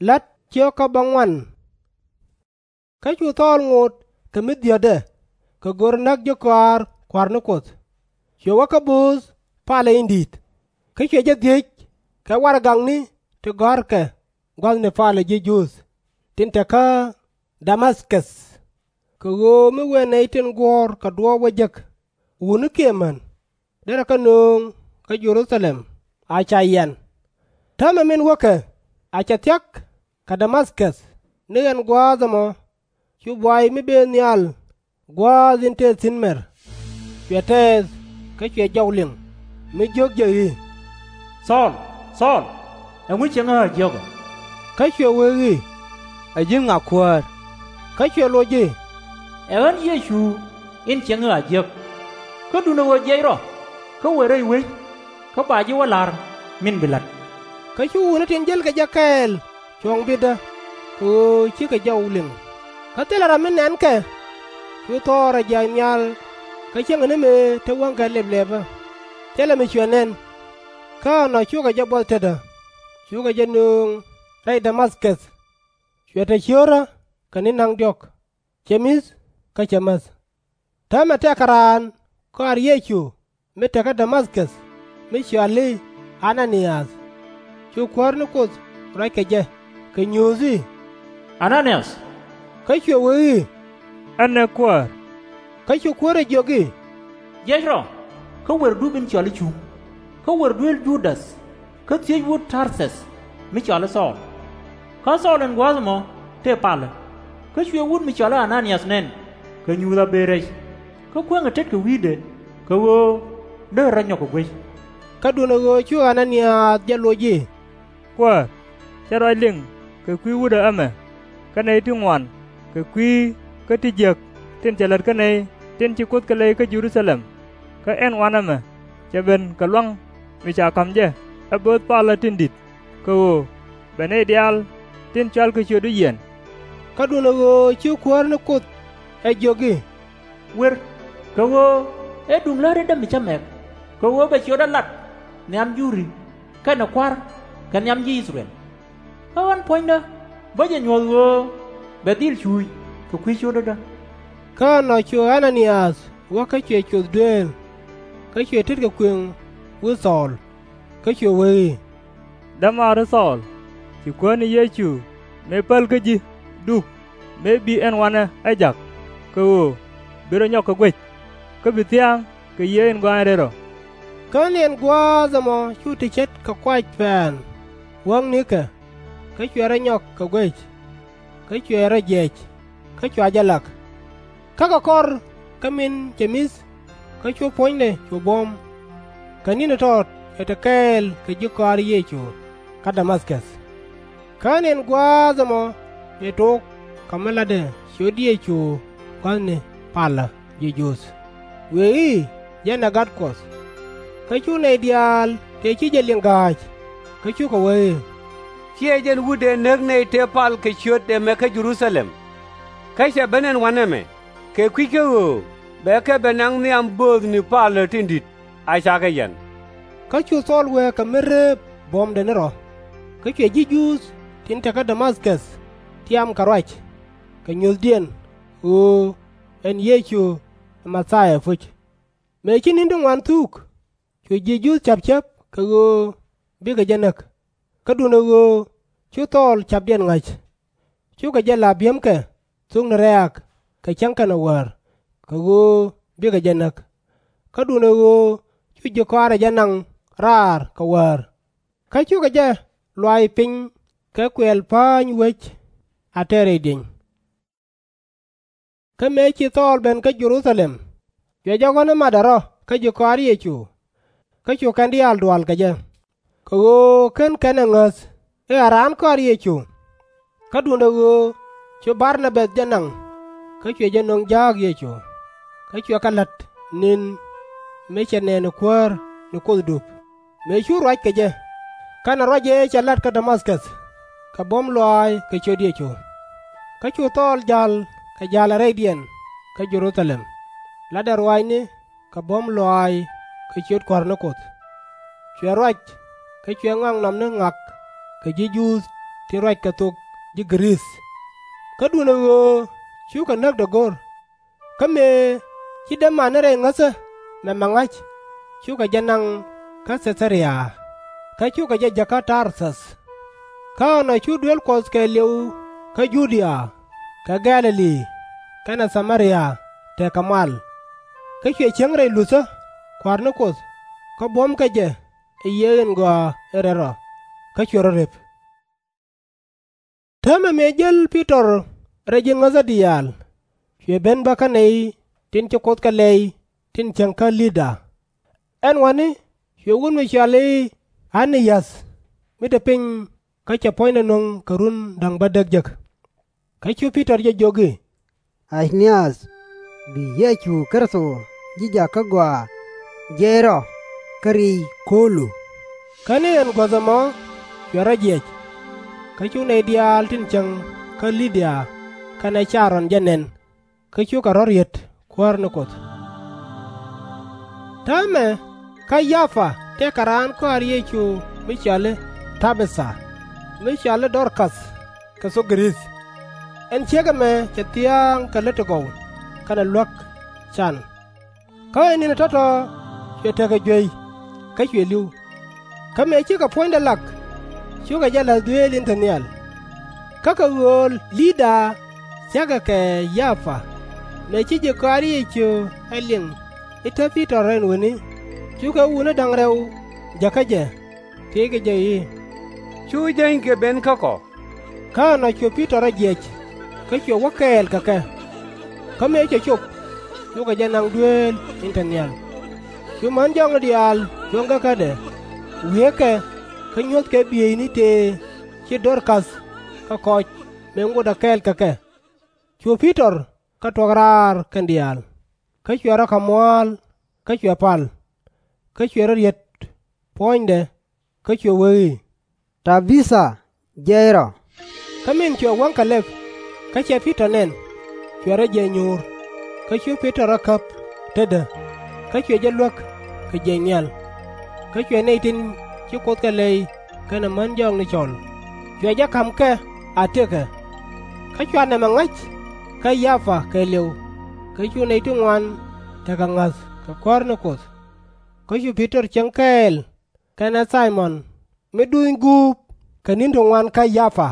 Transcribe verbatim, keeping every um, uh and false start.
La̱t ciök kä bäŋuan. Kä cu Thɔɔl ŋot kɛ mi dhiäthdɛ, kɛ go̱r näk ji̱ kɔaar Kua̱r ni Kuoth. Cuɛ wä kä bööth palä in di̱i̱t, kä cuɛ jɛ dhiec kɛ warɛgakni ti gɔ̱a̱rkɛ gua̱thni palä ji̱ Juudh tin te kä Damath-kɛth, kɛ ɣöö mi wëë nɛy tin guɔ̱ɔ̱r kɛ duɔ̱ɔ̱p wä jek, wutni kiɛ män, derɛ kɛ nööŋ kä Jɛ-ru-tha-lɛm a ca yian. Täämɛ min wäkɛ a cɛ thia̱k kɛ Damath-kɛth, ni ɛn gua̱a̱th ɛmɔ cu buay mi bëë nhial gua̱a̱th in tëë thi̱n mɛr, cuɛ tɛɛth kä cuɛ jɔw liŋ, mi jiök jɛ i̱, Thɔɔl, Thɔɔl, ɛŋu ciɛŋä ɣä a jiäk ɔ? Kä cuɛ wee i̱, Ɛ ji̱n ŋa, Kuäär? Kä cuɛ loc i̱, Ɛ ɣän Yecu in ciɛŋä ɣä a jiäk. Kä duundɛ ɣöö jiɛc rɔ, kä wër rɛy wec, kä ba ji̱ wä la̱r min bi la̱t. Kä cu wutni tin jälkɛ jɛ kɛɛl cuɔ̱ŋ bitdä, kɛ ɣöö cikɛ jɔw liŋ. Kä thilɛ ram mi nɛnkɛ, cu thɔɔl rɔ jiath nhial kä cäŋɛ ni mëë te wäŋkɛ lɛplɛpä, thilɛ mi cuɛ nɛn. Kä ɛnɔ cukɛ jɛ buɔth tetdä, cukɛ jɛ nööŋ rɛy Damath-kɛth. Cuɛ te ciötdä kɛ ni̱n da̱ŋ diɔ̱k, cɛ mi̱th kä cɛ mäth. Täämɛ tëëkɛ raan kɔaar Yecu mi te kä Damath-kɛth, mi cɔal i̱ A-na-ni-yath. Cu Kuäär ni Kuoth ruac kɛ jɛ, kɛ nyuuth i̱, A-na-ni-yath! Kä cuɛ wee i̱, Ɛnɛ, Kuäär. Kä cu Kuäär ɛ jiök i̱, Jiɛc rɔ, kä wër dup in cɔal i̱ Cuŋ, kä wër duel Ju-däth, kä thiec wut Tar-thɛth mi cɔal i̱ Thɔɔl. Kä Thɔɔl ɛn gua̱a̱th ɛmɔ tëë palä, kä cuɛ wut mi cɔal i̱ A-na-ni-yath nɛn kɛ nyuuth a bëë rɛc, kä kueŋɛ tet kɛ wi̱i̱dɛ, kɛ ɣöö deri rɔ nyɔk kɛ guec. Kä duundɛ ɣöö cu A-na-ni-yath jɛ loc i̱, Kuäär, cä ruac liŋ kɛ kui̱ wutdä ɛmɛ, kä nɛy ti ŋuan kɛ kui̱ kä ti jiäk tin cɛ lät kä nɛy tin ci Kuoth kɛ lɛy kä Jɛ-ru-tha-lɛm. Kä ɛn wanɛ mɛ cɛ ben kɛ lua̱ŋ mi ca ka̱m jɛ ɛ bööth palä tin di̱t, kɛ ɣöö bɛ nɛy diaal tin cɔalkɛ ciötdu yiɛn. Kä duundɛ ɣöö cu Kuäär ni Kuoth ɛ jiök i̱, Wër, kɛ ɣöö ɛ duŋ lätdä mi cä mɛk, kɛ ɣöö bɛ ciötdä lat nhiam Juri kɛnɛ kua̱r kɛ nhiam ji̱ I-thɛ-rɛl. Kä ɣän puɔ̱nydä bä jɛ nyuɔ̱th ɣöö bɛ dhil cuuc kɛ kui̱ ciötdädä. Kä ɛnɔ cu A-na-ni-yath wä kä cuɛ coth dueel, kä cuɛ tetkɛ kuëŋ wi̱i̱ Thɔɔl, kä cuɛ wee i̱, Dämaari Thɔɔl, ci Kuäär ni Yecu mëë päl kä ji̱ dup mëë bi ɛn wanɛ ɛ jak, kɛ ɣöö bi rɔ nyɔk kɛ guec, kä bi thia̱a̱ŋ kɛ Yiëë in Gɔaaɛ Rɛl Rɔ. Kä ni ɛn gua̱a̱th ɛmɔ cu ti ce̱tkɛ kuac pɛ̈ɛ̈n wäŋ ni̱kɛ, kä cuɛ rɔ nyɔk kɛ guec, kä cuɛ rɔ jiɛc, kä cua jɛ lak. Kä kɛ kɔr kä min cɛ mi̱th, kä cu puɔ̱nydɛ cu buɔ̱m. Kɛ ni̱n ɛ tɔt cuɛ te kɛɛl kɛ ji̱ kɔaar Yecu kä Damath-kɛth. Kä ni ɛn gua̱a̱th ɛmɔ cuɛ tok kɛ mi latdɛ ciöt Yecu gua̱thni palä ji̱ Juudh, wëë i̱, Jɛn ɛ Gat Kuɔth. Kä cu nɛy diaal tëë ci jɛ liŋ ga̱a̱c, kä cukɛ wee i̱, Ciɛ jɛn wut dëë näk nɛy tëë pal kɛ ciöt ɛmɛ kä Jɛ-ru-tha-lɛm, kä cɛ ben ɛn wanɛ mɛ kɛ kui̱ kä ɣöö bɛ kɛ ben naŋ nhiam bööthni palä tin di̱t a ca kɛ yian. Kä cu Thɔɔl wee kɛ mi reep buɔ̱mdɛ ni rɔ. Kä cuɛ ji̱ Juudh tin te kä Damath-kɛth tiam kɛ ruac kɛ nyuuthdiɛn ɣöö ɛn Yecu ɛ Mɛ-thia puc. Mëë ci ni̱n ti ŋuan thuk, cu ji̱ Juudh ca̱p cäp kɛ ɣöö bikɛ jɛ näk. Kä duundɛ ɣöö cu Thɔɔl ca̱pdiɛn ŋa̱c, cukɛ jɛ la̱r bi̱emkɛ thokni rɛ̈ɛ̈k kɛ cäŋ kɛnɛ wäär, kɛ ɣöö bikɛ jɛ näk. Kä duundɛ ɣöö cu ji̱ kɔaarɛ jɛ naŋ raar kɛ wäär. Kä cukɛ jɛ luaac piny kɛ kuɛl pa̱ny wec a tɛr rɛy dieny. Kä mëë ci Thɔɔl ben kä Jɛ-ru-tha-lɛm, cuɛ jɛ ɣɔ̱n ɛ matdɛ rɔ kä ji̱ kɔaar Yecu, kä cu kɛn diaal dual kɛ jɛ, kɛ ɣöö /ken kɛn ɛ ŋäth i̱ ɛ raan kɔaar Yecu. Kä duundɛ ɣöö cu Bar-na-bäth jɛ naŋ, kä cuɛ jɛ nöŋ ja̱a̱k Yecu, kä cuɛ kɛ la̱t ni̱n mi cɛ nɛɛni kuäär ni Kuoth dup, mëë cu ruac kɛ jɛ, kɛnɛ ruac ëë cɛ la̱t kä Damath-kɛth, kɛ buɔ̱m lɔaac kɛ ciöt Yecu. Kä cu Thɔɔl ja̱l kɛ ja̱lɛ rɛydiɛn kä Jɛ-ru-tha-lɛm, latdɛ ruaacni kɛ buɔ̱m lɔaac kɛ ciöt Kua̱r ni Kuoth. Cuɛ ruac, kä cuɛ ŋaknɔmni ŋak kɛ ji̱ Juudh tin ruac kɛ thok ji̱ Gɛ-rith. Kä duundɛ ɣöö cukɛ näk dɔ̱ŋ go̱r, kä mëë ci dämaari rɛy ŋäthä mɛmɛ ŋa̱c, cukɛ jɛ naŋ kä Thɛ-tha-ria, kä cukɛ jɛ jäk kä Tar-thäth. Kä ɛnɔ cu duel Kuɔth kɛɛliw kä Ju-dia, kɛ Gɛ̈-lɛ-li, kɛnɛ Tha-mɛ-ria tekɛ mal. Kä cuɛ cieŋ rɛy Luthä, kua̱r ni Kuoth, kä buɔ̱mkɛ jɛ ɛ yiëë in gɔaa in rɛl rɔ, kä cuɛ rɔ rep. Täämɛ mëë jäl Pi-tɔr rɛy ji̱ ŋäthä diaal, cuɛ ben bä kä nɛy tin ci Kuoth kɛ lɛy tin cieŋ kä Lida. Ɛn wäni cuɛ wut mi cɔal i̱ Ɛn-ni-yäth mi te piny kä cɛ puɔ̱nydɛ nöŋ kɛ run da̱ŋ bädäk jek. Kä cu Pi-tɔr jɛ jiök i̱, Ɛn-ni-yäth, bi Yecu Kritho ji̱ jakä gɔaa jiɛc rɔ kä ri̱c ko̱lu. Kä ni ɛn guäth ɛmɔ cuɛ rɔ jiɛc. Kä cu nɛy diaal tin cieŋ kä Lida kɛnɛ Ca-rɔn jɛ nɛn, kä cukɛ rɔ̱ riet kuäär ni Kuoth. Täämɛ kä Yafa tëëkɛ raan kɔaar Yecu mi cɔal i̱ Ta-bi-tha, mi cɔal i̱ Dɔr-kath kɛ thok Gɛ-rith. Ɛn ciek ɛmɛ cɛ thia̱a̱ŋ kɛ lät ti gɔw kɛnɛ luäk can. Kä ɛ ni̱n ɛ tɔ̱tɔ̱ cuɛ tekɛ juey, kä cuɛ li̱w. Kä mëë cikɛ puɔ̱nydɛ lak, cukɛ jɛ la̱th dueel in te nhial. Kä kɛ ɣöö Lida thia̱kɛ kɛ Yafa, mëë ci ji̱ kɔaar Yecu ɛ liŋ i̱ te Pi-tɔr ɛn wäni, cukɛ wutni da̱ŋ rɛw jäkä jɛ, thiëckɛ jɛ i̱, Cu jänykiɛ ben kä kɔ? Kä ɛnɔ cu Pi-tɔr rɔ jiɛc, kä cuɛ wä kɛɛl kɛ kɛ. Kä mëë cɛ cop, cukɛ jɛ naŋ dueel in te nhial. Cu män jɔakni diaal cuɔ̱ŋ käkädɛ, wiee kɛ, kä nyuɔ̱thkɛ bieyni tëë ci Dɔr-kath kɛ kɔc mëë ŋotdɛ kɛɛl kɛ kɛ. Cu Pi-tɔr kɛ tuɔ̱k raar kɛn diaal, kä cuɛ rɔ kɛ mua̱a̱l, kä cuɛ pal. Kä cuɛ rɔ riet puɔ̱nydɛ, kä cuɛ wee i̱, Ta-bi-tha, jiɛc rɔ. Kä min cuɛ wäŋ kɛ lɛp, kä cɛ Pi-tɔr nɛn, cuɛ rɔ jiɛc nyuur. Kä cu Pi-tɔr rɔ käp tetdä, kä cuɛ jɛ luäk kɛ jiɛc nhial. Kä cuɛ nɛy tin ci Kuoth kɛ lɛy kɛnɛ män jɔakni cɔl, cuɛ jɛ ka̱m kɛ a tëkɛ. Kä cua nɛmɛ ŋa̱c kä Yafa kɛɛliw, kä cu nɛy ti ŋuan tekɛ ŋa̱th kɛ kuäär ni Kuoth. Kä cu Pi-tɔr cieŋ kɛɛl kɛnɛ Thay-mɔn mi duny guup kɛ ni̱n ti ŋuan kä Yafa.